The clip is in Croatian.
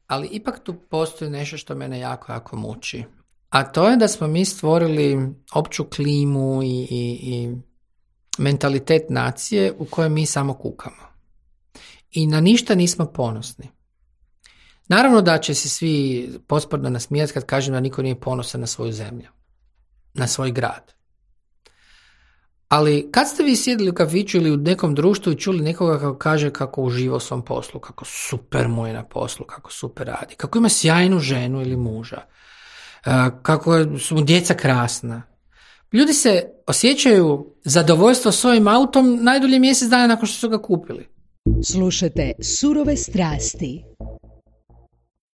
Ali ipak tu postoji nešto što mene jako, jako muči. A to je da smo mi stvorili opću klimu i mentalitet nacije u kojoj mi samo kukamo. I na ništa nismo ponosni. Naravno da će se svi posprdno nasmijati kad kažem da niko nije ponosan na svoju zemlju, na svoj grad. Ali kad ste vi sjedili u kafiću ili u nekom društvu i čuli nekoga kako kaže kako uživa u svom poslu, kako super mu je na poslu, kako super radi, kako ima sjajnu ženu ili muža, kako su mu djeca krasna. Ljudi se osjećaju zadovoljstvo svojim autom najdulje mjesec dana nakon što su ga kupili. Slušajte Surove strasti.